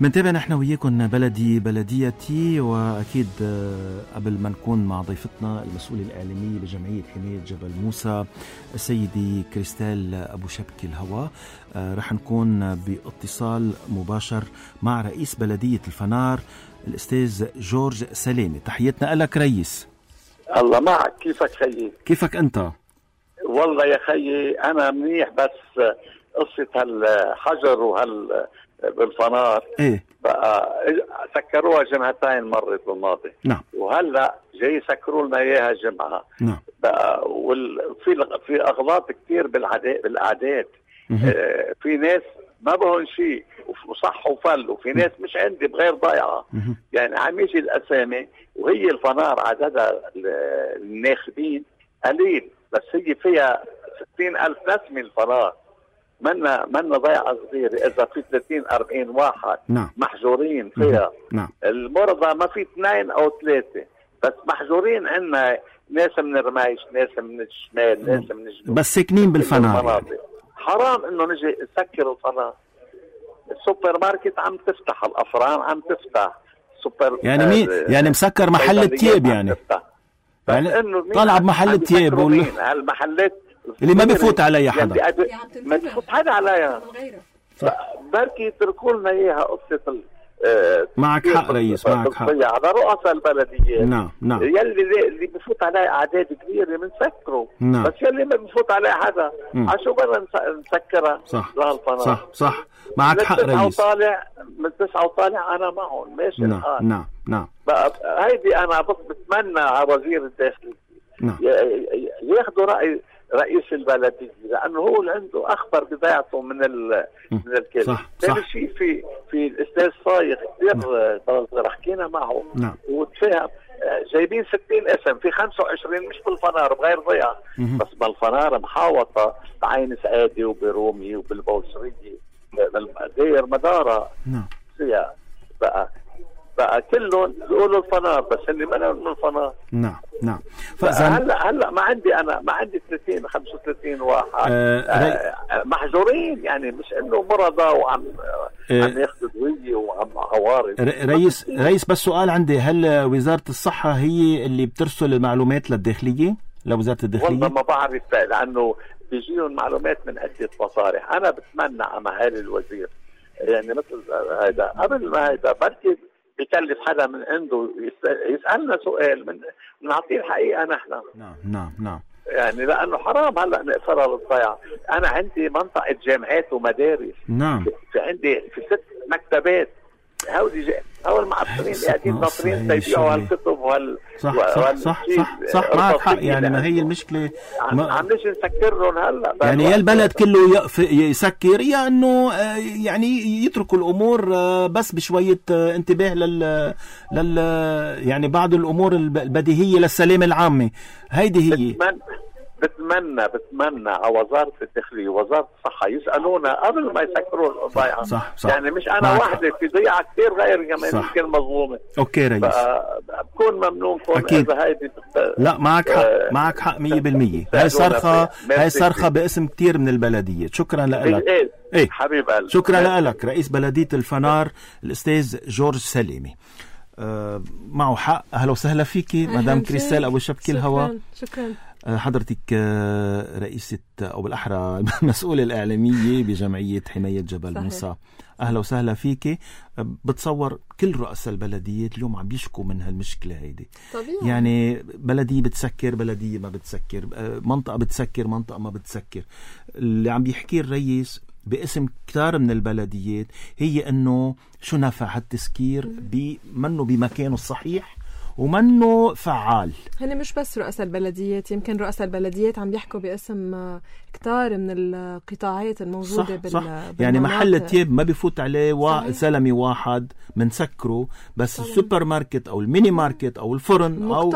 منتابع نحن وياكم بلديتي، وأكيد قبل ما نكون مع ضيفتنا المسؤولة الإعلامية بجمعية حماية جبل موسى السيدة كريستال أبو شبكي الهوا، رح نكون باتصال مباشر مع رئيس بلدية الفنار الأستاذ جورج سلامي. تحياتنا لك رئيس. الله معك، كيفك خيي؟ كيفك أنت؟ والله يا خيي أنا منيح، بس قصة هالحجر بالفنار إيه بقى سكروها جمعتين مرت بالماضي. نعم. وهلا جاي يسكروا لنا اياها جمعه. نعم. بقى في اغلاط كثير بالاعداد. في ناس ما بهون شيء وصح وفل، وفي ناس مش عندي بغير ضيعه. يعني عم يجي الاسامي وهي الفنار عددها الناخبين قليل، بس هي فيها 60,000 نسمه الفنار. منا ضيعة صغيرة إذا في 30-40 واحد. نعم. محجورين فيها. نعم. المرضى ما في 2 أو 3 بس محجورين. عنا ناس من الرمايش، ناس من الشمال، ناس من الجنوب، بس ساكنين بالفنار يعني. حرام إنه نجي نسكر الفنار. السوبر ماركت عم تفتح، الأفران عم تفتح، سوبر يعني مين يعني مسكر محل التياب يعني طلع بمحل التياب هالمحلات اللي ما بيفوت عليها حدا، ما بيفوت حدا عليها. بركي يتركوا لنا اياها قصه. معك حق رئيس، معك حق. على رؤساء البلديات. نعم نعم. اللي بيفوت عليه اعداد كبيره بنسكره. نعم. بس يلي ما بيفوت عليه حدا عشو بدنا نسكرها. صح صح معك حق رئيس. من 9 وطالع انا معهم ماشي. نعم نعم نعم. هيدي انا بس بتمنى على وزير الداخلية ياخذوا رأي رئيس البلدية، لأنه هو اللي عنده أخبر بضيعته من الكلمة. ثاني شيء في الأستاذ صايغ كثير حكينا معه. نعم. وتفهم جايبين 60 اسم، في 25 مش بالفنار بغير ضيعة، بس بالفنار محاوطة بعين سعادي وبرومي وبالبوسرية دير مدارة. نعم. فيها بقى كلهم بيقولوا الفنار، بس اللي ما من الفنار. نعم نعم. هلا ما عندي 35 واحد محجورين، يعني مش انه مرضى وعم ياخذوا دوية وعم عوارض. رئيس بس سؤال عندي، هل وزارة الصحة هي اللي بترسل المعلومات للداخلية، لوزارة الداخلية؟ والله ما بعرف، لانه بيجيهم معلومات من عدة مصالح. انا بتمنى على معالي الوزير يعني مثل هذا قبل ما هذا بركي بيكلف حدا من عنده يسألنا سؤال نعطيه الحقيقة نحن. نعم نعم نعم. يعني لأنه حرام هلأ نقصرها للضيعة. أنا عندي منطقة جامعات ومدارس. نعم. عندي في 6 مكتبات. هول المعطلين قاعدين ناطرين تيبيعوا هالكتب صح معك حق. يعني ما هي المشكلة عم نجي نسكرهم هلا. يعني يا البلد كله يسكر، يا انه يعني يتركوا الامور بس بشوية انتباه لل يعني بعض الامور البديهية للسلامة العامة. هيدي هي. بتمنى على وزارة الداخلية ووزارة الصحة يسألونا قبل ما يسكروا الضيعة. صح. يعني مش أنا واحدة، في ضيعة كثير غير كمان يمكن مظلومة. أوكي رئيس. بكون ممنونكم إذا هيدي لا معك حق 100%. هاي صرخة باسم كتير من البلدية. شكرا لك. إيه حبيب قلبي. شكرا لك رئيس بلدية الفنار الأستاذ جورج سلامي. معه حق. أهلا وسهلا فيكي مدام كريستال أبو شبكي الهوا. شكرا. حضرتك رئيسة أو بالأحرى المسؤولة الإعلامية بجمعية حماية جبل موسى. أهلا وسهلا فيك. بتصور كل رؤساء البلديات اليوم عم بيشكوا من هالمشكلة هيدي. طبيعي. يعني بلدية بتسكر، بلدية ما بتسكر، منطقة بتسكر، منطقة ما بتسكر. اللي عم بيحكي الرئيس باسم كتار من البلديات هي أنه شو نفع هالتسكير منه بمكانه الصحيح ومنه فعال. هن مش بس رؤساء البلديات، يمكن رؤساء البلديات عم بيحكوا باسم كتار من القطاعات الموجودة صح. يعني محل التياب ما بيفوت عليه زلمي واحد منسكره، بس السوبر ماركت او الميني ماركت او الفرن او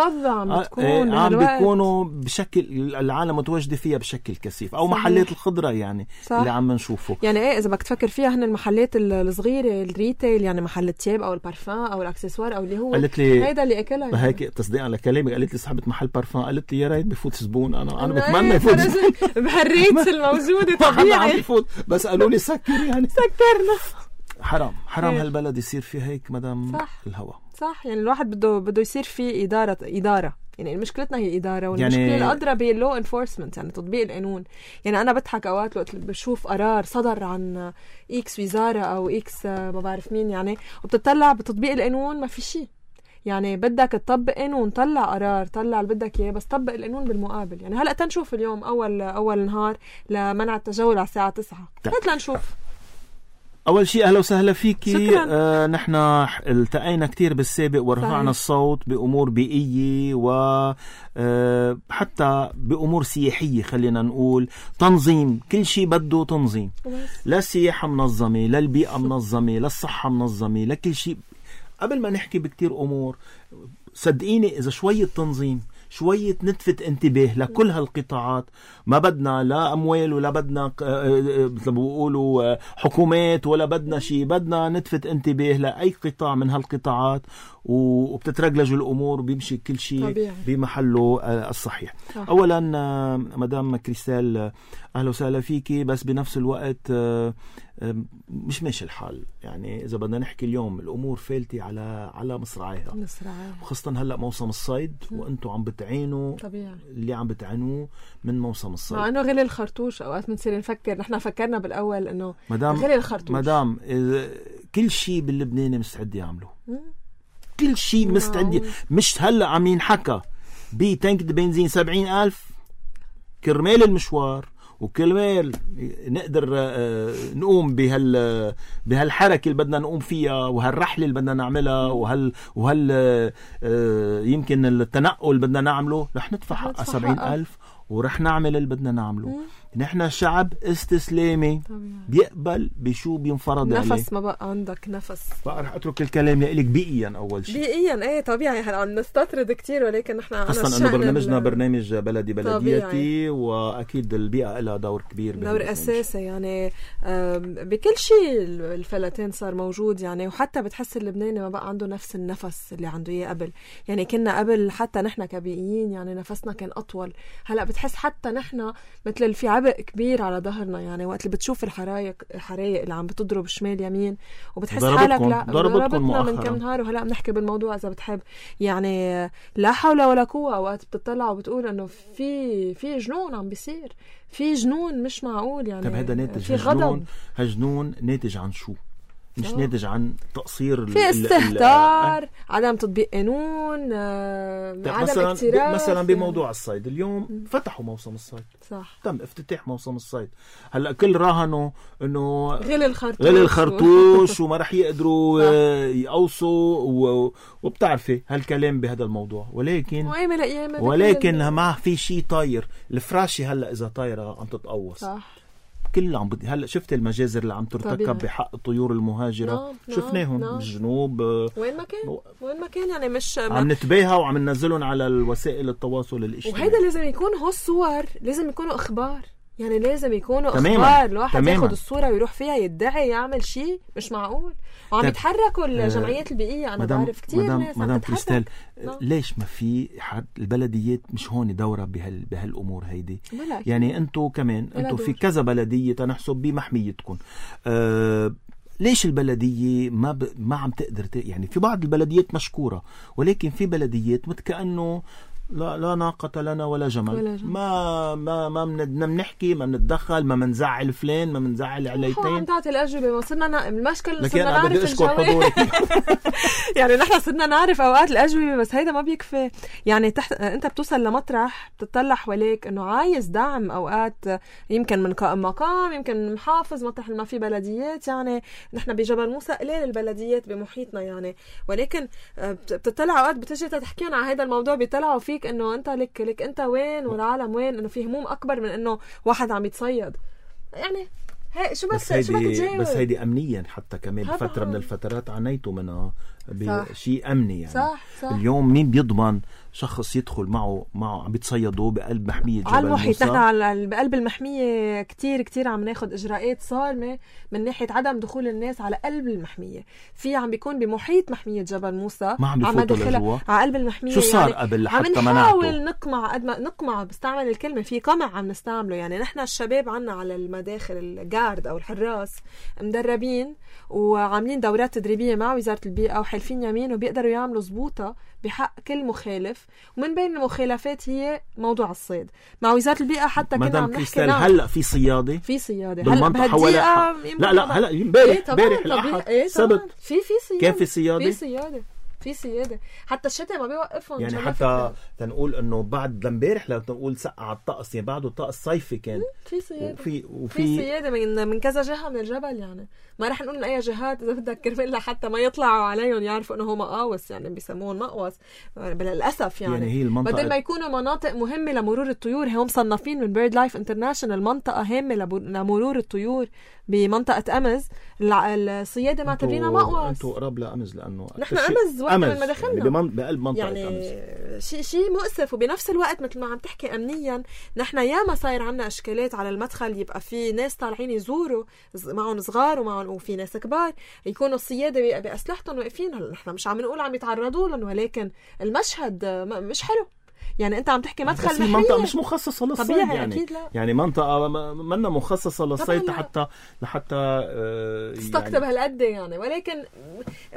عم بيكونوا بشكل العالم متواجدة فيها بشكل كثيف، او محلات الخضرة يعني صح. اللي عم نشوفه يعني ايه اذا بدك تفكر فيها، هن المحلات الصغيرة الريتيل، يعني محل التياب او البارفان او الاكسسوار او اللي هو هيدا اللي اكلها. هيك تصديقا لكلامك قالت لي صاحبة محل بارفان، قالت لي يا ريت بفوت زبون. انا بتمنى يفوت بهالريتس الموجودة طبيعي بفوت، بس قالوا لي سكر يعني سكرنا. حرام هالبلد يصير فيه هيك مدام الهوا. صح، يعني الواحد بده يصير فيه إدارة. يعني مشكلتنا هي الإدارة، والمشكلة يعني الأدرى باللو انفورسمنت، يعني تطبيق القانون. يعني أنا بضحك أوقات وقت بشوف قرار صدر عن إكس وزارة أو إكس ما بعرف مين، يعني وبتطلع بتطبيق القانون ما في شيء. يعني بدك تطبق قانون، طلع قرار، طلع اللي بدك إياه، بس طبق القانون بالمقابل. يعني هلأ تنشوف اليوم أول نهار لمنع التجول على الساعة 9. هات لنشوف. أول شيء أهلا وسهلا فيكي. نحن التقينا كتير بالسابق ورفعنا الصوت بأمور بيئية وحتى بأمور سياحية. خلينا نقول تنظيم، كل شيء بده تنظيم، لا السياحة منظمة، لا البيئة منظمة، لا الصحة منظمة، لا كل شيء. قبل ما نحكي بكتير أمور، صدقيني إذا شوية تنظيم، شوية نتفت انتباه لكل هالقطاعات، ما بدنا لا أموال ولا بدنا مثل ما بيقولوا حكومات ولا بدنا شيء، بدنا نتفت انتباه لأي قطاع من هالقطاعات وبتترجلج الأمور وبيمشي كل شيء بمحله الصحيح. أولا مدام كريستال أهلا وسهلا فيكي، بس بنفس الوقت مش ماشي الحال. يعني إذا بدنا نحكي اليوم الأمور فالتي على مصراعيها، وخاصة هلأ موسم الصيد وأنتوا عم بتعينوا طبيعي اللي عم بتعينوه من موسم الصيد. مع أنه غلي الخرطوش أوقات بنصير نفكر، نحن فكرنا بالأول أنه غلي الخرطوش. مدام كل شيء باللبناني مستعد يعمله، كل شيء مستعد. مش هلأ عم ينحكى بتانك بنزين 70,000 كرمال المشوار وكرمال نقدر نقوم بهالحركة اللي بدنا نقوم فيها وهالرحلة اللي بدنا نعملها وهال يمكن التنقل اللي بدنا نعمله. رح ندفع 70,000 ورح نعمل اللي بدنا نعمله. نحن شعب استسلامي بيقبل بشو بينفرض عليه. نفس ما بقى عندك نفس. بقى رح اترك الكلام لك بيئيا. اول شيء بيئيا ايه طبيعي، عم نستطرد كتير، ولكن نحن خاصة انه برنامجنا برنامج بلدي بلديتي، واكيد البيئة لها دور كبير، دور اساسي. يعني بكل شيء الفلاتين صار موجود. يعني وحتى بتحس اللبناني ما بقى عنده نفس النفس اللي عنده اياه قبل. يعني كنا قبل حتى نحن كبيئيين يعني نفسنا كان اطول. هلا بتحس حتى نحن مثل في عبء كبير على ظهرنا. يعني وقت اللي بتشوف الحرايق اللي عم بتضرب شمال يمين وبتحس حالك لا ضربتنا من كم نهار، وهلا بنحكي بالموضوع اذا بتحب. يعني لا حول ولا قوه. وقت بتطلع وبتقول انه في جنون عم بيصير، في جنون مش معقول. يعني طيب هذا ناتج هالجنون ناتج عن شو؟ مش ناتج عن تقصير في استهتار، عدم تطبيق قانون، عدم اكتراث. مثلا بموضوع الصيد اليوم فتحوا موسم الصيد، صح، تم افتتاح موسم الصيد. هلا كل راهنوا انه غلي الخرطوش وما رح يقدروا يقوصوا وبتعرفي هالكلام بهذا الموضوع. ولكن ما في شيء طاير. الفراشي هلا اذا طايره عم تتقوص، صح. كل عم هلا شفت المجازر اللي عم ترتكب بحق الطيور المهاجرة. شفناهم بالجنوب وين ما كان يعني مش عم نتباهى وعم ننزلهم على الوسائل التواصل الاجتماعي. وهذا لازم يكون هو الصور، لازم يكونوا اخبار. يعني لازم يكونوا اخبار. الواحد ياخد الصورة ويروح فيها يدعي يعمل شيء مش معقول. وعم يتحركوا الجمعيات البيئية. انا بعرف كتير ناس عم تتحرك. ليش ما في البلديات مش هون دورة بهالامور هيدي؟ يعني انتو كمان انتو في كذا بلدية تنحسب بمحميتكم. ليش البلدية ما عم تقدر يعني في بعض البلديات مشكورة، ولكن في بلديات كأنه لا ناقة لنا ولا جمل. ما بنحكي، ما بنتدخل، ما بنزعل فلان، ما بنزعل عليتين. عم تعطي الأجوبة. ما صرنا المشكلة صرنا نعرف الجواب. يعني نحن صرنا نعرف أوقات الأجوبة، بس هيدا ما بيكفي. يعني أنت بتوصل لمطرح بتطلع حواليك إنه عايز دعم. أوقات يمكن من قائم مقام، يمكن من محافظ، مطرح ما في بلديات. يعني نحن بجبل موسى قليل البلديات بمحيطنا يعني. ولكن بتطلع أوقات بتجي تحكينا على هذا الموضوع، بيطلعوا فيك انه انت لك انت وين والعالم وين، انه في هموم اكبر من انه واحد عم يتصيد. يعني هي شو بس تجاوب. بس هيدي امنيا حتى كمان فتره من الفترات عانيتوا منها بشيء امني. يعني صح. اليوم مين بيضمن شخص يدخل معه عم بيتصيدوا بقلب محمية جبل على المحيط. موسى. نحن بقلب المحمية كتير عم ناخد إجراءات صارمة من ناحية عدم دخول الناس على قلب المحمية. في عم بيكون بمحيط محمية جبل موسى ما عم بيفوتوا لجوا على قلب المحمية. شو صار يعني قبل عم حتى نحاول نقمع بستعمل الكلمة في قمع عم نستعمله. يعني نحن الشباب عنا على المداخل الجارد أو الحراس مدربين وعاملين دورات تدريبية مع وزارة البيئة وحالفين يمين وبيقدروا يعملوا زبوطة بحق كل مخالف. ومن بين المخالفات هي موضوع الصيد مع وزارة البيئة. حتى كنا عم نحكي هلا في صيادة هلا بهالدقيقة. لا هلا امبارح الأحد سبت في صيادة. كان في صيادة حتى الشتاء ما بيوقفهم. يعني حتى تنقول انه بعد لامبارح لو تنقول سقع الطقس يعني بعده الطقس صيفي كان في صيادة وفي صيادة من كذا جهة من الجبل. يعني ما رح نقول من اي جهات اذا بدك كرمال حتى ما يطلعوا عليهم يعرفوا انه هو مقاوس. يعني بيسموهم مقوس للاسف. يعني هي المنطقة بدل ما يكونوا مناطق مهمة لمرور الطيور هم مصنفين من بيرد لايف انترناشونال منطقة هامة لمرور الطيور بمنطقة أمز. الصيادة معتبرينها مقوس. انتوا قراب لأمز لأنه نحن أمز وقت من ما دخلنا يعني بقلب منطقة يعني أمز. شيء مؤسف. وبنفس الوقت مثل ما عم تحكي أمنيا نحن ياما صاير عنا إشكالات على المدخل. يبقى في ناس طالعين يزوروا معهم صغار وفي ناس كبار يكونوا الصيادة بأسلحتهم واقفين. نحن مش عم نقول عم يتعرضوا لهم ولكن المشهد مش حلو. يعني انت عم تحكي مدخل محمية منطقة مش مخصصة للصيد. طبيعي يعني أكيد لا. حتى منطقة منا مخصصة للصيد لحتى تستقطب هالقد يعني. ولكن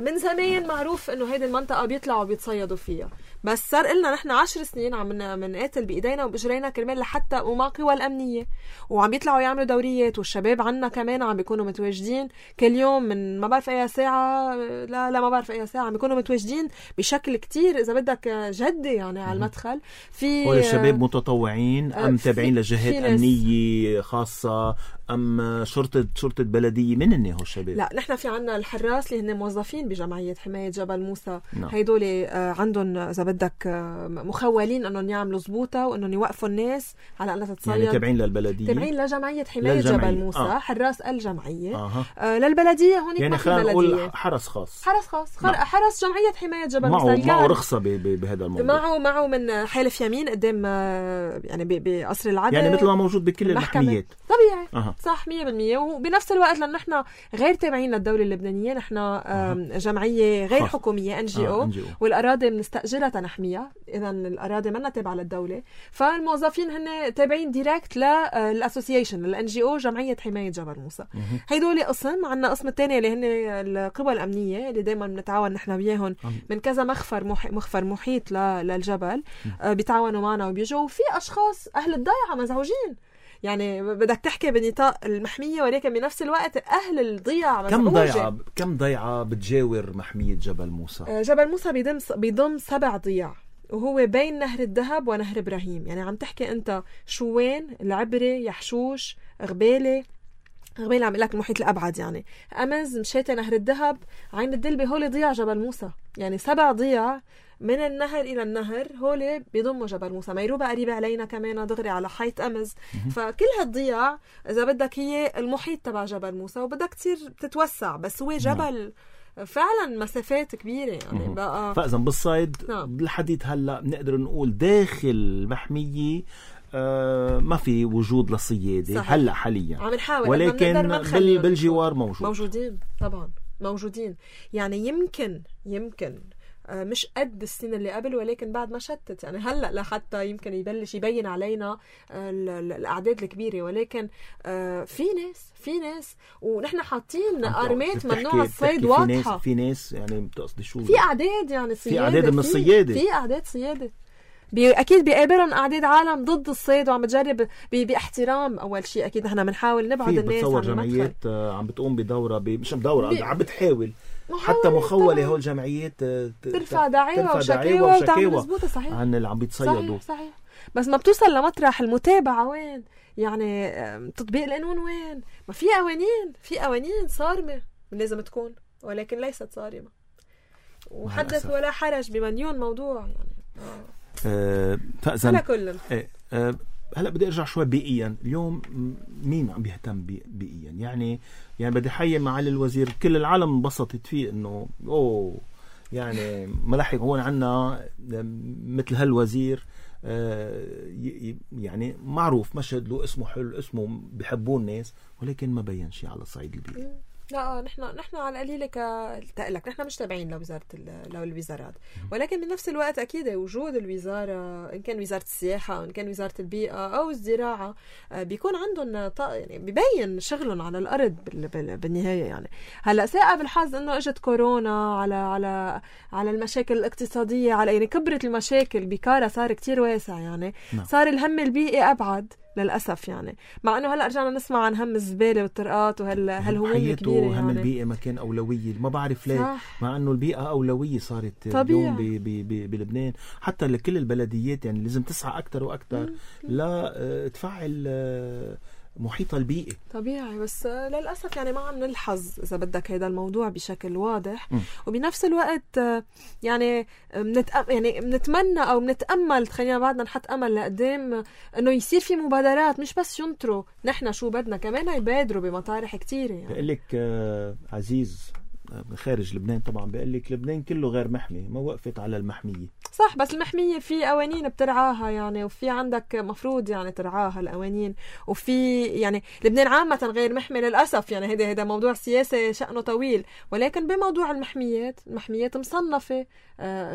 من زمان معروف انه هيدي المنطقة بيطلعوا بيتصيدوا فيها. بس صار لنا نحن 10 سنين عم نقاتل بايدينا وباجرينا كرمال لحتى ومع قوى الامنيه وعم بيطلعوا يعملوا دوريات. والشباب عنا كمان عم بيكونوا متواجدين كل يوم من ما بعرف اي ساعه لا ما بعرف اي ساعه عم بيكونوا متواجدين بشكل كتير اذا بدك جدي يعني على المدخل. في هول الشباب متطوعين ام تابعين لجهات امنيه خاصه ام شرطه بلديه؟ من هن هو الشباب؟ لا نحن في عنا الحراس اللي هن موظفين بجمعيه حمايه جبل موسى. هيدول عندهم اذا بدك مخولين انهم يعملوا زبوطه وانهم يوقفوا الناس على انها تتصيد. يعني تابعين للبلديه، تابعين لجمعيه حمايه جبل موسى. حراس الجمعيه للبلديه هون. يعني خلينا نقول حرس خاص حرس جمعيه حمايه جبل موسى. معه رخصه بهذا الموضوع. معه من حالف يمين قدام يعني بقصر العدل. يعني مثل ما موجود بكل المحميات طبيعي. صح 100%. وبنفس الوقت لأن نحن غير تابعين للدولة اللبنانية. نحن جمعية غير حكومية NGO والأراضي بنستأجرها نحميها. إذا الأراضي منا تابعة للدولة. فالموظفين هن تابعين ديركت للأسوسيشن الNGO جمعية حماية جبل موسى. هيدول قسم. عنا قسم الثاني اللي هن القوى الأمنية اللي دايما بنتعاون نحن وياهم من كذا مخفر محيط للجبل. بيتعاونوا معنا وبيجوا. وفي أشخاص أهل الضيعة مزعوجين. يعني بدك تحكي بنطاق المحمية ولكن بنفس الوقت أهل الضيعة مزعوجة. كم ضيعة بتجاور محمية جبل موسى؟ جبل موسى بيضم 7 ضياع وهو بين نهر الذهب ونهر إبراهيم. يعني عم تحكي أنت شوين، العبري، يحشوش، غبالة عم لك المحيط الأبعد. يعني أمز، مشيتة، نهر الذهب، عين الدلبة. هول ضياع جبل موسى. يعني 7 ضياع من النهر إلى النهر هول بيضموا جبل موسى. ميروبة قريبة علينا كمان دغري على حيط أمز. فكل هالضياع إذا بدك هي المحيط تبع جبل موسى وبدك تصير تتوسع. بس هو جبل فعلا مسافات كبيرة يعني بقى. فإذا بالصيد بالحديث هلأ بنقدر نقول داخل المحمية ما في وجود للصيادة هلأ حاليا. عم نحاول ولكن بالجوار موجودين طبعا موجودين. يعني يمكن مش قد السنة اللي قبل ولكن بعد ما شتت. يعني هلأ لحتى يمكن يبلش يبين علينا الأعداد الكبيرة. ولكن في ناس ونحن حاطين أرمات ممنوع الصيد واضحة. في ناس يعني بتقصدي شو؟ في أعداد يعني في أعداد من الصيادة. في أعداد صيادة أكيد بيقابلهم أعداد عالم ضد الصيد وعم بتجرب باحترام. أول شيء أكيد نحن بنحاول نبعد الناس عن المدخل. جمعيات عم بتقوم بدورة مش بدورة عم بتحاول حتى مخولة هول جمعيات ترفع دعاوى وشكاوى وتعمل مزبوطة. صحيح عن اللي عم بيتصيدوا. صحيح. بس ما بتوصل لمطرح المتابعة وين؟ يعني تطبيق القانون وين؟ ما في قوانين صارمة لازم تكون ولكن ليست صارمة. وحدث ولا حرج بمليون موضوع يعني. فأذن كل هلا بدي ارجع شوي بيئيا. اليوم مين عم بيهتم بيئيا؟ يعني بدي حيي معالي الوزير. كل العالم انبسطت فيه انه يعني ملحق هون عنا مثل هالوزير يعني معروف، مشهد له اسمه حلو، اسمه بيحبوه الناس، ولكن ما بين شيء على الصعيد البيئي. لا نحن على القليله كتقلك نحن مش تابعين لوزاره الوزارات، ولكن بنفس الوقت اكيد وجود الوزاره ان كان وزاره السياحه او ان كان وزاره البيئه او الزراعه بيكون عندهم يعني ببين شغلهم على الارض بالنهايه. يعني هلا ساء بالحظ انه اجت كورونا على المشاكل الاقتصاديه، على يعني كبرت المشاكل بكاره، صار كتير واسع يعني. صار الهم البيئي ابعد للأسف يعني، مع أنه هلأ رجعنا نسمع عن هم الزبالة والطرقات وهالهموم الكبيرة يعني. هم البيئة ما كان أولوية، ما بعرف ليه، مع أنه البيئة أولوية صارت اليوم بلبنان. حتى لكل البلديات يعني لازم تسعى أكتر وأكتر لا تفعل محيط البيئي. طبيعي، بس للأسف يعني ما عم نلحظ إذا بدك هذا الموضوع بشكل واضح. وبنفس الوقت يعني بنتمنى أو بنتأمل، خلينا بعدنا نحط أمل لقدام إنه يصير في مبادرات، مش بس ينطروا نحن شو بدنا، كمان يبادروا بمطارح كتيرة يعني. بقول لك عزيز خارج لبنان طبعا، بقول لك لبنان كله غير محمي، ما وقفت على المحمية. صح، بس المحمية في قوانين بترعاها يعني، وفي عندك مفروض يعني ترعاها القوانين، وفي يعني لبنان عامة غير محمي للأسف يعني. هذا موضوع سياسي شأنه طويل، ولكن بموضوع المحميات مصنفة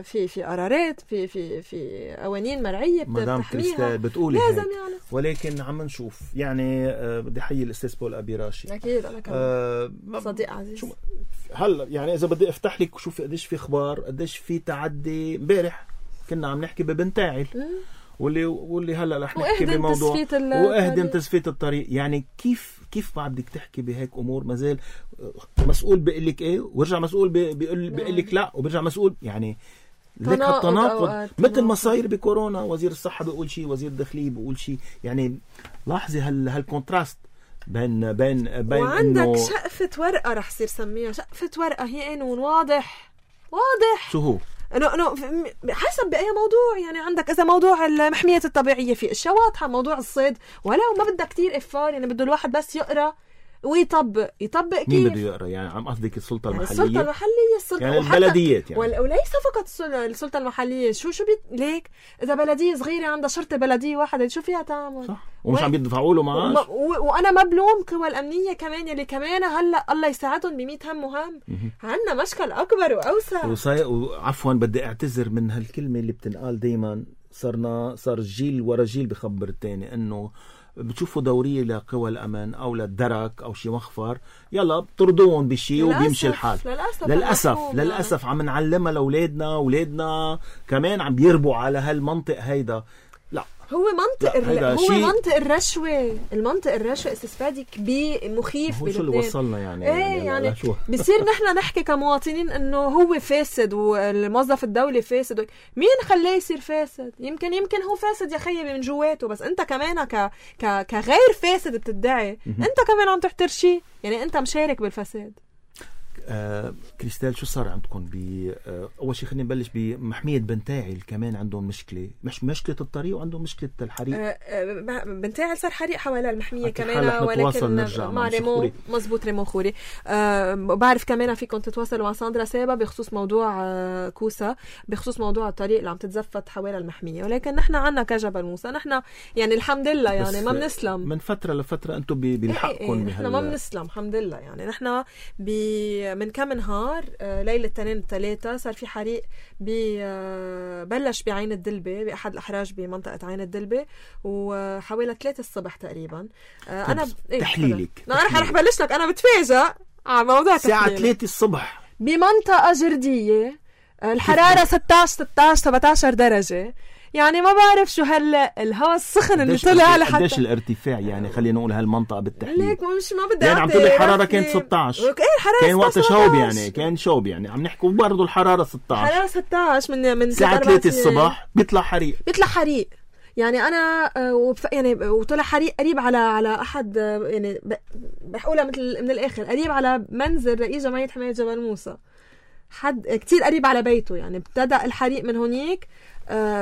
في قرارات، في قوانين مرعية بتحميها، بتقولي لازم يعني. ولكن عم نشوف يعني بدي حيي الأستاذ بول أبي راشي، أكيد أنا كمان صديق عزيز. هلا يعني إذا بدي أفتح لك وشوف قديش في أخبار، قديش في تعدي. امبارح كنا عم نحكي ببنتاعل واللي هلا رح نحكي بموضوع وأهدن تزفيت الطريق. يعني كيف ما بدك تحكي بهيك أمور؟ مازال مسؤول بيقول لك إيه، ورجع مسؤول بيقول لك لا، وبرجع مسؤول. يعني لك هالتناقض، مثل ما صاير بكورونا، وزير الصحة بيقول شيء، وزير الداخلية بيقول شيء. يعني لاحظي هالكونتراست بين وعندك شقفة ورقة رح صير سميها شقفة ورقة، هي قانون واضح شو هو؟ انه حسب باي موضوع يعني. عندك اذا موضوع المحميات الطبيعيه في اشياء واضحه، موضوع الصيد ولو ما بدها كتير افار يعني، بده الواحد بس يقرا ويطبق كيف. مين بده يقرا يعني؟ عم قصدك السلطه المحليه؟ السلطه يعني البلديات يعني، وليس فقط السلطه المحليه. شو ليك اذا بلديه صغيره عندها شرطه بلديه واحده، شو فيها تعمل؟ صح، ومش عم يدفعوا له معاش. وانا ما بلوم قوى الامنيه كمان يلي كمان هلا الله يساعدهم ب100 هم وهم. عندنا مشكل اكبر واوسع. وعفوا بدي اعتذر من هالكلمه اللي بتنقال دائما، صار جيل ورا جيل بخبر الثاني انه بتشوفوا دورية لقوى الأمن أو للدرك أو شي مخفر، يلا بترضون بشي وبيمشي الحال. للأسف عم نعلمها لأولادنا كمان عم بيربوا على هالمنطق هيدا. لا، هو منطق الرشوة. المنطق الرشوة استفادي كبير مخيف. هو شو اللي وصلنا يعني؟ يعني بصير نحن نحكي كمواطنين انه هو فاسد والموظف الدولي فاسد. مين خلاه يصير فاسد؟ يمكن هو فاسد يا خيي من جواته، بس انت كمان كغير فاسد بتدعي انت كمان عم تحترشي يعني، انت مشارك بالفساد. كريستال، شو صار عندكم أول شيء خلينا نبلش بمحمية بنتاعل. كمان عندهم مشكلة، مش مشكلة الطريق، وعندهم مشكلة الحريق. بنتاعل صار حريق حوالي المحمية كمان، ولكن مع ريمو مزبوط، ريمو خوري. بعرف كمان فيكم تتواصلوا مع ساندرا سابا بخصوص موضوع كوسا، بخصوص موضوع الطريق اللي عم تتزفت حوالي المحمية. ولكن نحن عنا كجبل موسى، نحن يعني الحمد لله يعني ما بنسلم من فترة لفترة. انتم بنحقكم نحن ما بنسلم الحمد لله يعني. نحن من كم نهار ليلة 2-3 صار في حريق بلش بعين الدلبة، بأحد الأحراج بمنطقة عين الدلبة، وحوالي 3 الصبح تقريبا. أنا تحليلك رح بلش لك. أنا بتفاجأ على موضوع الساعة 3 الصبح بمنطقة جردية، الحرارة 16-17 درجة. يعني ما بعرف شو الهواء السخن اللي طلع لحتى قديش الارتفاع يعني. خلينا نقول هالمنطقه بالتحديد ليك مش ما بدي يعني عم تقول الحراره كانت 16. كان وقت شوب يعني، كان شوب يعني عم نحكي برضه الحراره 16 من الساعه 3 الصبح بيطلع حريق يعني. انا يعني وطلع حريق قريب على احد يعني بحقولها مثل من الاخر قريب على منزل رئيس جمعيه حمايه جبل موسى، حد كتير قريب على بيته يعني. ابتدأ الحريق من هونيك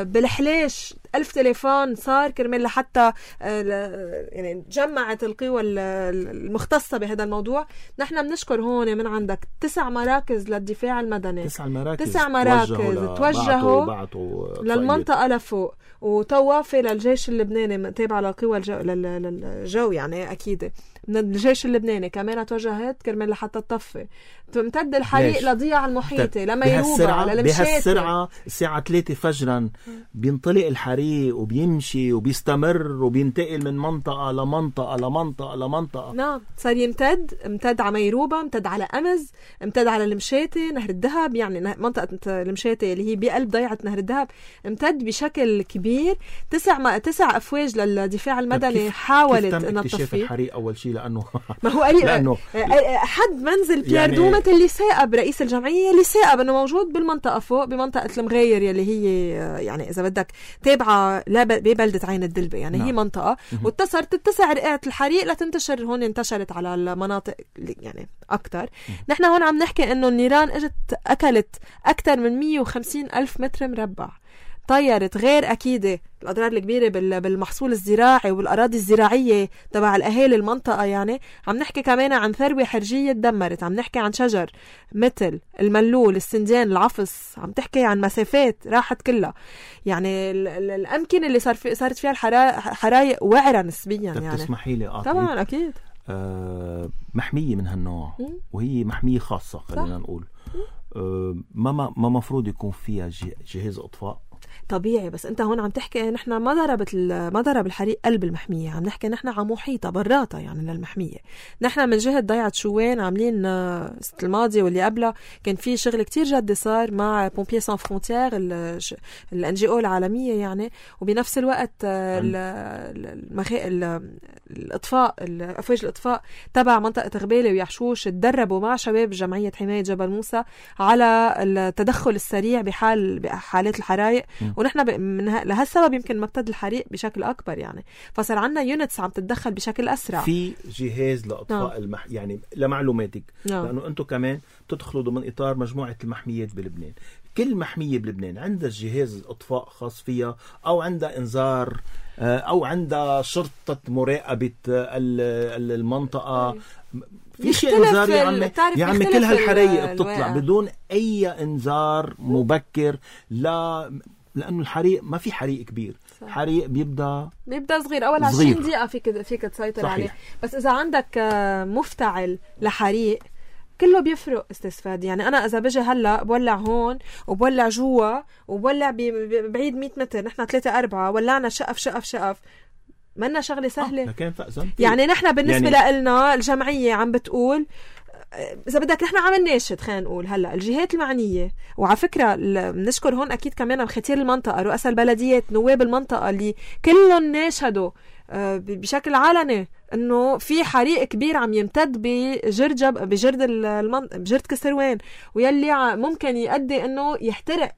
بالحلاش 1000 تليفون صار كرمال لحتى يعني جمعت القوى المختصة بهذا الموضوع. نحن بنشكر هون من عندك 9 مراكز للدفاع المدني، 9 مراكز توجهوا للمنطقة لفوق، وطوافة للجيش اللبناني تابعة للقوى للجو يعني أكيد من الجيش اللبناني كمان توجهت كرمال لحتى تطفي. تمتد الحريق لضياع المحيطي لما يروبا للمشاتي. بهالسرعة الساعة 3 فجرا بينطلق الحريق وبيمشي وبيستمر وبينتقل من منطقة لمنطقة لمنطقة لمنطقة. نعم صار امتد على ميروبا، امتد على أمز، امتد على المشاتي، نهر الذهب، يعني منطقة المشاتي اللي هي بقلب ضيعة نهر الذهب امتد بشكل كبير. 9 أفواج للدفاع المدني حاولت أن تطفي الحريق. أول شيء لأنه ما هو قريب حد منزل بيير يعني دومت اللي ساقب رئيس الجمعية اللي ساقب انه موجود بالمنطقة فوق بمنطقة المغير يلي هي يعني اذا بدك تابعة ببلدة عين الدلبة يعني هي منطقة تتسع رئة الحريق لتنتشر هون، انتشرت على المناطق يعني اكتر. نحن هون عم نحكي انه النيران اجت اكلت اكتر من 150,000 متر مربع، طيرت غير أكيدة الأضرار الكبيرة بالمحصول الزراعي والأراضي الزراعية تبع الأهالي المنطقة. يعني عم نحكي كمان عن ثروة حرجية تدمرت، عم نحكي عن شجر مثل الملول، السندان، العفص، عم تحكي عن مسافات راحت كلها. يعني الأمكنة اللي صارت فيها الحرايق وعرة نسبيا. يعني تسمحي لي طبعا أكيد محمية من هالنوع وهي محمية خاصة خلينا نقول ما مفروض يكون فيها جهاز إطفاء طبيعي. بس انت هون عم تحكي نحن ما ضرب الحريق قلب المحمية، عم نحكي نحن على محيطة براطة يعني للمحمية. نحن من جهة ضيعة شوين عاملين السنة الماضية واللي قبلها كان في شغل كتير جدي صار مع بومبيي سان فرونتيير الNGO العالمية يعني، وبنفس الوقت الإطفاء أفواج الإطفاء تبع منطقة غبالة ويحشوش تدربوا مع شباب جمعية حماية جبل موسى على التدخل السريع بحالات الحرائق. ونحن لهالسبب يمكن مبتد الحريق بشكل أكبر يعني، فصار عنا يونتس عم تتدخل بشكل أسرع. في جهاز لإطفاء يعني لمعلوماتك لأنه أنتم كمان تدخلوا ضمن إطار مجموعة المحميات بلبنان. كل محمية بلبنان عندها جهاز إطفاء خاص فيها، أو عندها إنذار، أو عندها شرطة مراقبة المنطقة. في شيء إنذار يا عمي كل هالحرايق بتطلع بدون أي إنذار مبكر لأنه الحريق ما في حريق كبير، حريق بيبدأ صغير. أول 20 دقيقة فيك تسيطر عليه. بس إذا عندك مفتعل لحريق كله بيفرق استفاد. يعني أنا إذا بجي هلأ بولع هون وبولع جوا وبولع بعيد 100 متر، نحن 3-4 ولعنا شقف منا شغلة سهلة. يعني نحن بالنسبة لنا الجمعية عم بتقول إذا بدك نحن عم نناشد خلينا نقول هلأ الجهات المعنية. وعلى فكرة بنشكر هون أكيد كمان ختير المنطقة، رؤساء البلديات، نواب المنطقة اللي كلهم ناشدوا بشكل علني انه في حريق كبير عم يمتد بجرد كسروان، ويلي ممكن يؤدي انه يحترق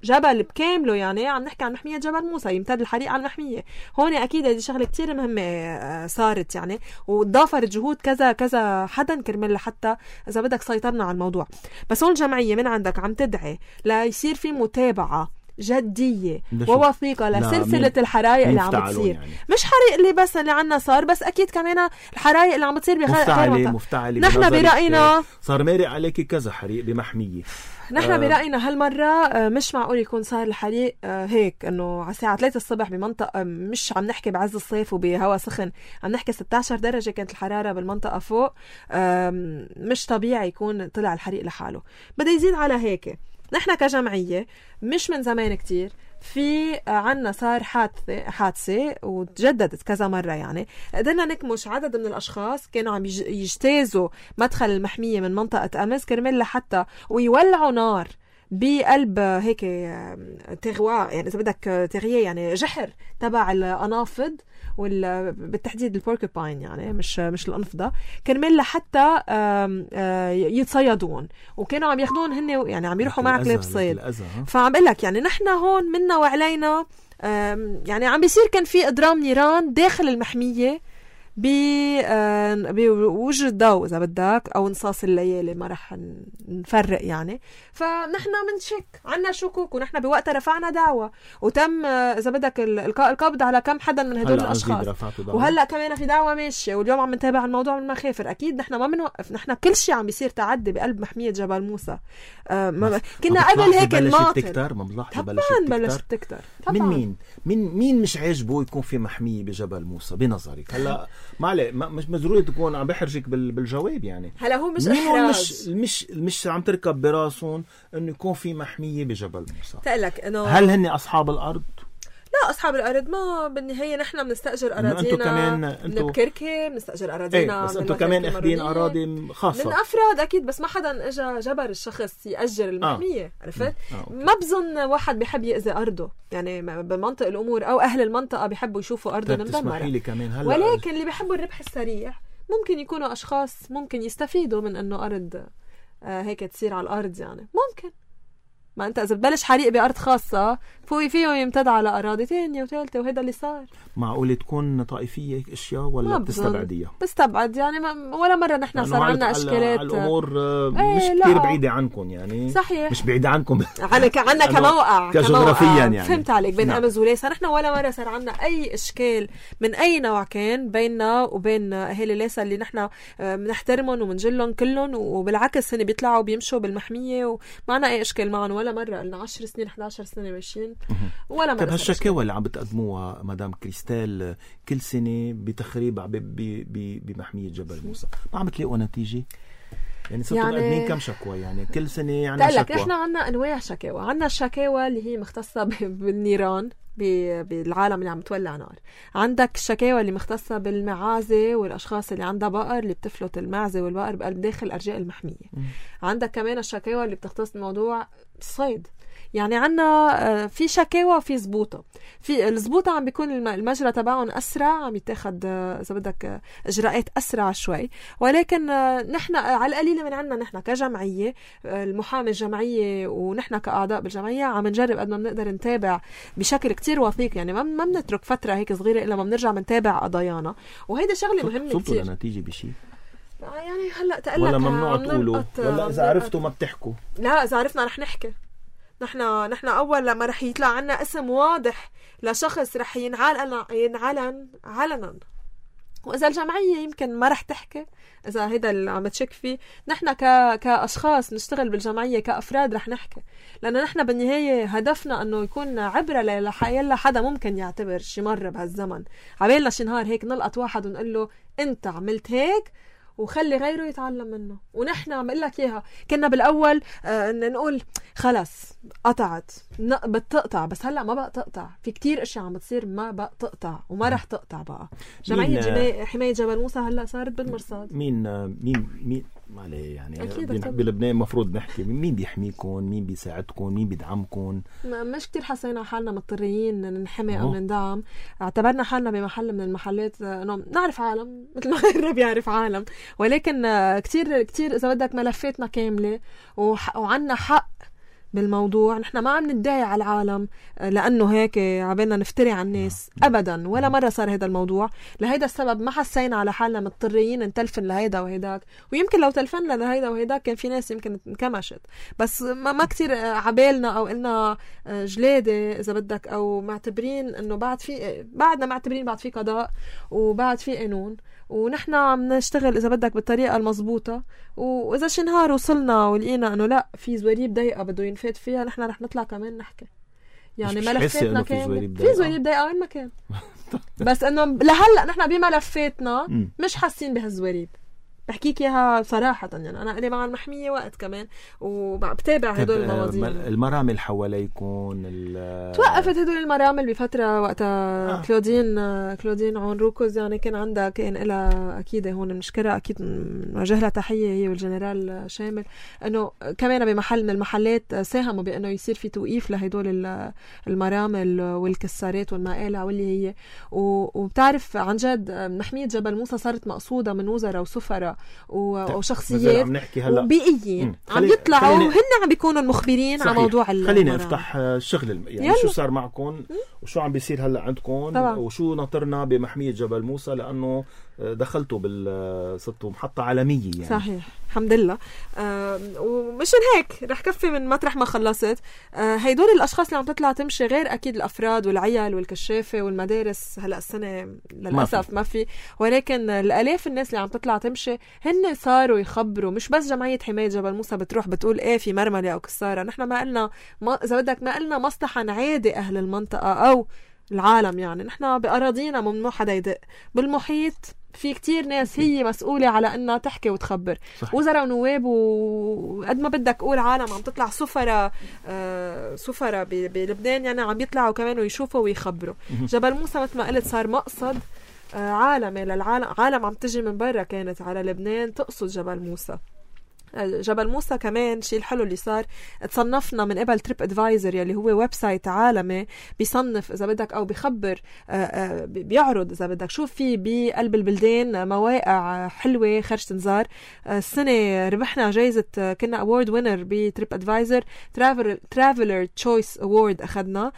جبل بكامله. يعني عم نحكي عن محمية جبل موسى، يمتد الحريق على المحمية. هون أكيد هذه شغلة كتير مهمة صارت يعني، وضافت جهود كذا حدا كرمال لحتى إذا بدك سيطرنا على الموضوع. بس هون الجمعية من عندك عم تدعي ليصير في متابعة جدية ووثيقة لسلسلة الحرائق اللي عم بتصير. يعني مش حريق اللي بس اللي عنا صار، بس أكيد كمان الحرائق اللي عم بتصير بغير مفتعلة. نحن برأينا صار مارق عليك كذا حريق بمحمية. نحن برأينا هالمرة مش معقول يكون صار الحريق هيك انه على الساعة 3 الصبح بمنطقة مش عم نحكي بعز الصيف وبهوا سخن، عم نحكي 16 درجة كانت الحرارة بالمنطقة فوق. مش طبيعي يكون طلع الحريق لحاله، بده يزيد على هيك. نحن كجمعية مش من زمان كتير في عنا صار حادثة وتجددت كذا مرة. يعني قدرنا نكمش عدد من الأشخاص كانوا عم يجتازوا مدخل المحمية من منطقة أمز كرمال لحتى ويولعوا نار بقلب هيك تغواء، يعني إذا بدك تغيير يعني جحر تبع الأنافض بالتحديد البوركوباين، يعني مش الأنفضة، كرمال لحتى يتصيدون. وكانوا عم ياخدون هن يعني عم يروحوا مع كلاب صيد. فعم بقول لك يعني نحن هون منا وعلينا يعني عم بيصير كان في إضرام نيران داخل المحمية بوجه الضوء إذا بدك أو نصاص الليالي، ما رح نفرق يعني. فنحن منشك عنا شكوك، ونحن بوقتها رفعنا دعوة وتم إذا بدك القبض على كم حدا من هدول الأشخاص، وهلأ كمان في دعوة ماشية، واليوم عم نتابع الموضوع من المخافر. أكيد نحن ما بنوقف، نحن كل شيء عم بيصير تعدي بقلب محمية جبل موسى. كنا قبل هيك الماطر طبعا بلشت تكتر. مين مش عاجبه يكون في محمية بجبل موسى بنظرك؟ هلا مش ضروري تكون عم بحرجك بالجواب يعني. هلا هو مش إحراج، مش عم تركب براسهم انه يكون في محمية بجبل موسى. تقلك انه هل هن اصحاب الارض؟ لا، أصحاب الأرض ما بالنهاية نحن بنستأجر أراضينا من بكركة، بنستأجر أراضينا بس أنتوا كمان أخذين أراضي خاصة من أفراد أكيد، بس ما حدا إجا جبر الشخص يأجر المحمية. عرفت؟ ما بظن واحد بيحب يأذي أرضه يعني بمنطق الأمور، أو أهل المنطقة بيحبوا يشوفوا أرضهم مدمرة. ولكن اللي بيحبوا الربح السريع ممكن يكونوا أشخاص ممكن يستفيدوا من أنه أرض هيك تصير على الأرض يعني. ممكن ما انت اذا ببلش حريق بارض خاصه فيه يمتد على اراضي ثانيه وثالثه، وهذا اللي صار. معقول تكون طائفيه اشياء ولا بتستبعديها؟ بستبعد يعني ولا مره نحن صار عندنا اشكالات. الامور مش كثير بعيده عنكم يعني. صحيح، مش بعيده عنكم عنا كموقع كجغرافيا يعني. فهمت عليك. بين امز وليسا نحن ولا مره صار عندنا اي اشكال من اي نوع كان بيننا وبين اهالي ليسا اللي نحن بنحترمهم وبنجلهم كلهم، وبالعكس هن بيطلعوا بيمشوا بالمحميه وما عندنا اي اشكال معهم ولا مرة. قلنا 10 سنين 11 سنة ماشيين ولا مرة. طيب هالشكاوى اللي عم بتقدموها مدام كريستال كل سنة بتخريب بمحمية جبل موسى، ما عم تلاقوا نتيجة؟ يعني صرتوا مقدمين كم شكوى يعني كل سنة يعني شكوى؟ نحن عنا أنواع شكاوى. عنا الشكاوى اللي هي مختصة بالنيران بالعالم اللي عم تولع نار. عندك الشكاوى اللي مختصة بالمعازة والأشخاص اللي عندها بقر اللي بتفلت المعزة والبقر بقلب داخل أرجاء المحمية. عندك كمان الشكاوى اللي بتختص بموضوع الصيد. يعني عنا في شكاوى وفي زبوطة. في الزبوطة عم بيكون المجرى تبعهم أسرع، عم يتاخد إذا بدك إجراءات أسرع شوي، ولكن نحن على القليلة من عنا نحن كجمعية، المحامي الجمعية ونحن كأعضاء بالجمعية عم نجرب قد ما بنقدر نتابع بشكل كتير وثيق يعني. ما بنترك فترة هيك صغيرة إلا ما بنرجع بنتابع قضايانا، وهيدا شغلة مهمة كتير. صوتوا لنتيجة بشي يعني هلأ تقلك ولا ممنوع تقولوا، ولا إذا عرفتوا ما بتحكوا؟ لا، إذا عرفنا رح نحكي. نحن أول لما رح يطلع عنا اسم واضح لشخص رح ينعلن علنا، وإذا الجمعية يمكن ما رح تحكي، إذا هيدا اللي عم تشك فيه، نحن كأشخاص نشتغل بالجمعية كأفراد رح نحكي، لأنه نحن بالنهاية هدفنا أنه يكون عبرة ليلا حدا ممكن يعتبر شي مرة بهالزمن. عبالنا شي نهار هيك نلقط واحد ونقول له أنت عملت هيك وخلي غيره يتعلم منه. ونحن عم اقول لك اياها، كنا بالاول نقول خلص قطعت بتقطع، بس هلا ما بقى تقطع. في كتير اشياء عم بتصير ما بقى تقطع وما رح تقطع بقى. جمعية حماية جبل موسى هلا صارت بالمرصاد. مين عليه يعني بلبنان مفروض نحكي مين بيحميكم، مين بيساعدكم، مين بيدعمكم. مش كتير حسينا حالنا مضطرين ننحمي او نندعم. اعتبرنا حالنا بمحل من المحلات انه نعرف عالم مثل ما غيرنا بيعرف عالم، ولكن كتير اذا بدك ملفاتنا كامله وعنا حق بالموضوع. نحن ما عم ندعي على العالم لأنه هيك عبالنا نفتري على الناس أبدا، ولا مرة صار هذا الموضوع. لهيدا السبب ما حسينا على حالنا مضطرين نتلفن لهيدا وهيداك، ويمكن لو تلفنا لهيدا وهيداك كان في ناس يمكن انكمشت، بس ما كتير عبالنا أو قلنا جلادة إذا بدك، أو معتبرين أنه بعدنا معتبرين بعد في قضاء وبعد في قانون، ونحن عم نشتغل إذا بدك بالطريقة المضبوطة. وإذا شي نهار وصلنا ولقينا أنه لا في زواريب ضيقة بده ينفات فيها، نحن رح نطلع كمان نحكي يعني ملفاتنا كاملة. في زواريب ضيقة وين ما كان بس أنه لهلأ نحن بملفاتنا مش حاسين بهالزواريب. بحكيك إياها صراحة يعني. أنا قلي مع المحمية وقت كمان وبتابع هدول المواضيع. المرامل حواليكم توقفت هدول المرامل بفترة وقتها كلودين عون روكوز يعني كان إلها أكيد هون بنشكرها، أكيد نوجه لها تحية هي والجنرال شامل، إنه كمان بمحل من المحلات ساهموا بأنه يصير في توقيف لهدول المرامل والكسارات والمقالع واللي هي. وبتعرف عن جد محمية جبل موسى صارت مقصودة من وزراء وسفراء وشخصيات وبيئيين عم يطلعوا وهن عم بيكونوا المخبرين على موضوع خلينا نفتح الشغل يعني شو صار معكم وشو عم بيصير هلا عندكم وشو ناطرنا بمحمية جبل موسى، لأنه دخلتوا صرتوا محطة عالمية يعني. صحيح الحمد لله. ومشان هيك رح كفي من مطرح ما خلصت. هيدول الأشخاص اللي عم تطلع تمشي، غير أكيد الأفراد والعيال والكشافة والمدارس، هلأ السنة للأسف ما في، ولكن الآلاف الناس اللي عم تطلع تمشي هن صاروا يخبروا. مش بس جمعية حماية جبل موسى بتروح بتقول ايه في مرملة أو كسارة، نحن ما قلنا إذا بدك ما قلنا مصلحة نعادي أهل المنطقة أو العالم، يعني نحن بأراضينا ممنوع حدا يدق. بالمحيط في كتير ناس هي مسؤولة على أنها تحكي وتخبر، وزراء ونواب وقد ما بدك قول عالم عم تطلع سفرة بلبنان، يعني عم يطلعوا كمان ويشوفوا ويخبروا. جبل موسى مثل ما قلت صار مقصد عالمي للعالم، عالم عم تجي من برا كانت على لبنان تقصد جبل موسى. جبل موسى كمان شيء الحلو اللي صار، تصنفنا من قبل تريب ادفايزر يلي هو ويب سايت عالمي بيصنف اذا بدك او بيخبر بيعرض اذا بدك شو في بقلب البلدان مواقع حلوه خرج تنزار. السنه ربحنا جائزه، كنا اوورد وينر بتريب ادفايزر، ترافلر تشويس اوورد اخذنا،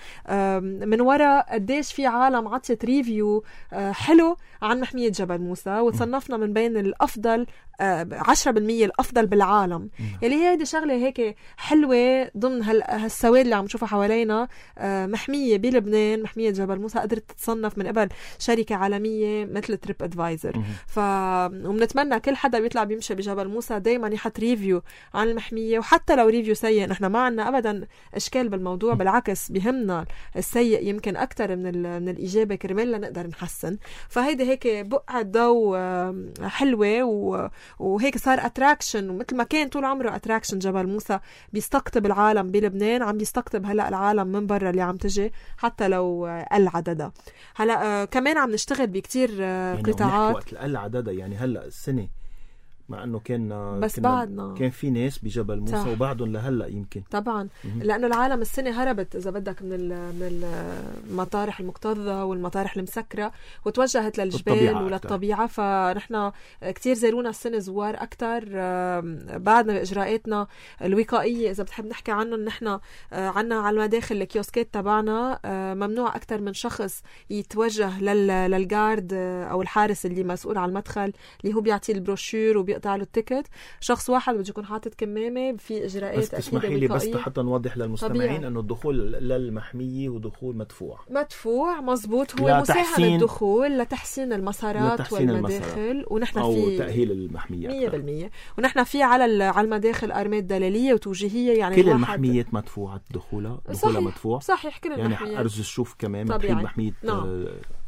من وراء قديش في عالم عطت ريفيو حلو عن محميه جبل موسى، وتصنفنا من بين الافضل 10% الافضل بالعالم. يلي هي هيدي شغله هيك حلوه ضمن هالسواد اللي عم نشوفها حوالينا. محميه بلبنان، محميه جبل موسى قدرت تتصنف من قبل شركه عالميه مثل تريب ادفايزر. وبنتمنى كل حدا بيطلع بيمشي بجبل موسى دايما يحط ريفيو عن المحميه، وحتى لو ريفيو سيء نحن ما عنا ابدا اشكال بالموضوع، بالعكس بيهمنا السيء يمكن اكثر من الايجابي كرمال نقدر نحسن. فهيدي هيك بقعه ضوء حلوه وهيك صار اتراكشن، ومثل ما كان طول عمره اتراكشن جبل موسى بيستقطب العالم بلبنان، عم بيستقطب هلا العالم من برا اللي عم تجي حتى لو قل عددها. هلا كمان عم نشتغل بكتير يعني قطاعات وقت قل عددها، يعني هلا السنه مع انه بس بعدنا كان في ناس بجبل موسى وبعدهم لهلا يمكن طبعا لانه العالم السنه هربت اذا بدك من المطارح المكتظه والمطارح المسكره وتوجهت للجبال وللطبيعه. فنحن كتير زارونا السنه زوار اكثر بعدنا باجراءاتنا الوقائيه. اذا بتحب نحكي عنه، نحن عنا على المداخل الكيوسكات تبعنا ممنوع اكثر من شخص يتوجه للجارد او الحارس اللي مسؤول على المدخل اللي هو بيعطي البروشور وبيقطع له التيكت. شخص واحد بده يكون حاطط كمامه في اجراءات بس تسمحي لي بس حتى نوضح للمستمعين انه الدخول للمحميه ودخول مدفوع مزبوط، هو مساهم الدخول لتحسين المسارات والمداخل، ونحن في تاهيل المحميه 100%. ونحن في على المداخل ارمات دلاليه وتوجيهيه، يعني كل المحميات مدفوعه دخولها مدفوع صحيح كل المحميات. يعني ارجو اشوف كمان محميه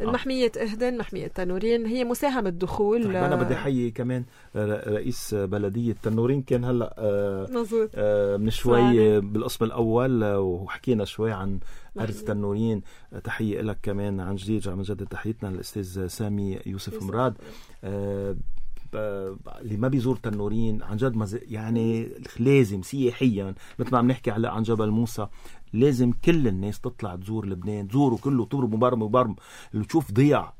المحميه اهدن، محميه تنورين، هي مساهم الدخول. طيب انا بدي احيي كمان رئيس بلدية تنورين، كان هلأ من شوي بالقسم الأول وحكينا شوي عن أرز تنورين. تحية لك كمان عن جديد، عم نجدد تحيتنا للأستاذ سامي يوسف مراد. اللي ما بيزور تنورين عن جد يعني لازم سياحيا مثل ما عم نحكي على عن جبل موسى، لازم كل الناس تطلع تزور لبنان، تزوروا كله، تضرب مبرم اللي تشوف ضيع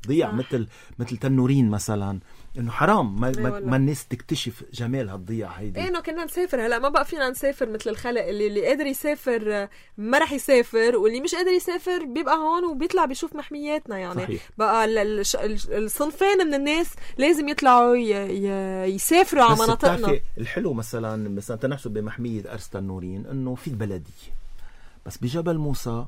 مثل تنورين مثلا. انه حرام ما الناس تكتشف جمال هالضيعه هيدي. انه كنا نسافر، هلا ما بقى فينا نسافر مثل الخلق اللي قادر يسافر ما رح يسافر، واللي مش قادر يسافر بيبقى هون وبيطلع بيشوف محمياتنا. يعني صحيح. بقى الصنفين من الناس لازم يطلعوا يسافروا على مناطقنا. الحلو مثلا تنحسب بمحميه ارز تنورين انه في بلديه، بس بجبل موسى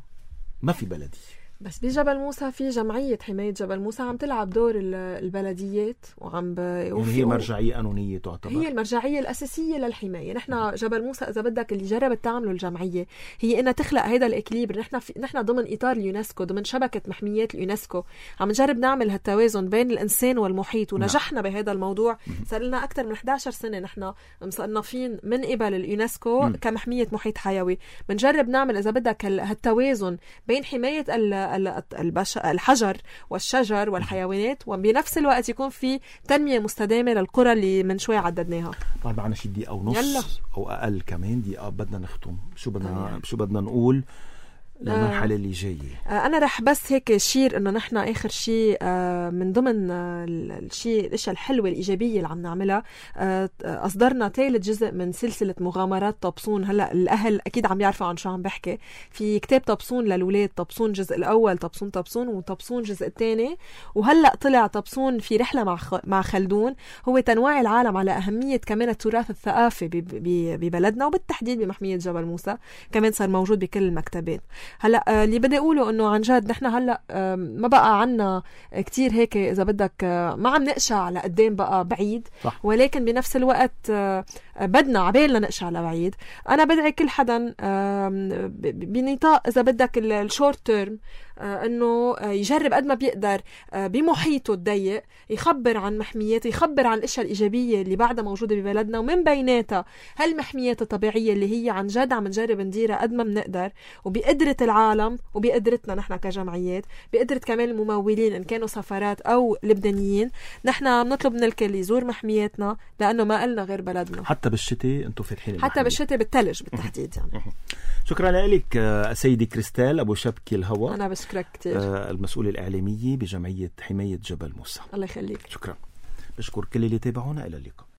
ما في بلديه. بس بجبل موسى في جمعية حماية جبل موسى عم تلعب دور البلديات يعني هي مرجعية قانونية تعتبر، هي المرجعية الأساسية للحماية. نحن جبل موسى إذا بدك اللي جربت تعمله الجمعية هي إنها تخلق هيدا الإكليبر. نحن ضمن إطار اليونسكو، ضمن شبكة محميات اليونسكو، عم نجرب نعمل هالتوازن بين الإنسان والمحيط، ونجحنا بهذا الموضوع. صار لنا أكثر من 11 سنة نحن مصنفين من قبل اليونسكو كمحمية محيط حيوي. بنجرب نعمل إذا بدك هالتوازن بين حماية الحجر والشجر والحيوانات، وبنفس الوقت يكون في تنمية مستدامة للقرى اللي من شوي عددناها. طيب معنا شي دقيقة ونص أو أقل كمان دقيقة بدنا نختم. شو بدنا نقول؟ للمرحلة اللي جاية. أنا رح بس هيك شير إنه نحن آخر شيء من ضمن الأشياء الحلوة الإيجابية اللي عم نعملها، أصدرنا ثالث جزء من سلسلة مغامرات طبسون. هلأ الأهل أكيد عم يعرفوا عن شو عم بحكي. في كتاب طبسون للولاد، طبسون جزء الأول، طبسون وطبسون جزء الثاني، وهلأ طلع طبسون في رحلة مع خلدون، هو تنويع العالم على أهمية كمان التراث الثقافي ببلدنا وبالتحديد بمحمية جبل موسى، كمان صار موجود بكل المكتبات. هلا اللي بدي اقوله انه عن جد نحن هلا ما بقى عنا كتير هيك اذا بدك ما عم نقشع لقدام بقى بعيد، صح. ولكن بنفس الوقت بدنا عبالنا نقشع لبعيد. انا بدعي كل حدا بنطاق اذا بدك الشورت تيرم انه يجرب قد ما بيقدر بمحيطه الضيق يخبر عن محميات، يخبر عن الاشياء الايجابيه اللي بعدها موجوده ببلدنا، ومن بيناتها هالمحميات الطبيعيه اللي هي عن جد عم نجرب نديرها قد ما بنقدر، وبقدره العالم وبقدرتنا نحن كجمعيات، بقدره كمان الممولين ان كانوا سفارات او لبنانيين. نحن بنطلب من الكل يزور محمياتنا لانه ما قلنا غير بلدنا. حتى بالشتاء انتم فاتحين، حتى بالشتاء بالثلج بالتحديد يعني. شكرا لك سيدي كريستال أبو شبكي الهوى. أنا بشكرك كتير. المسؤولة الإعلامية بجمعية حماية جبل موسى. الله يخليك. شكرا. بشكر كل اللي تابعونا. إلى اللقاء.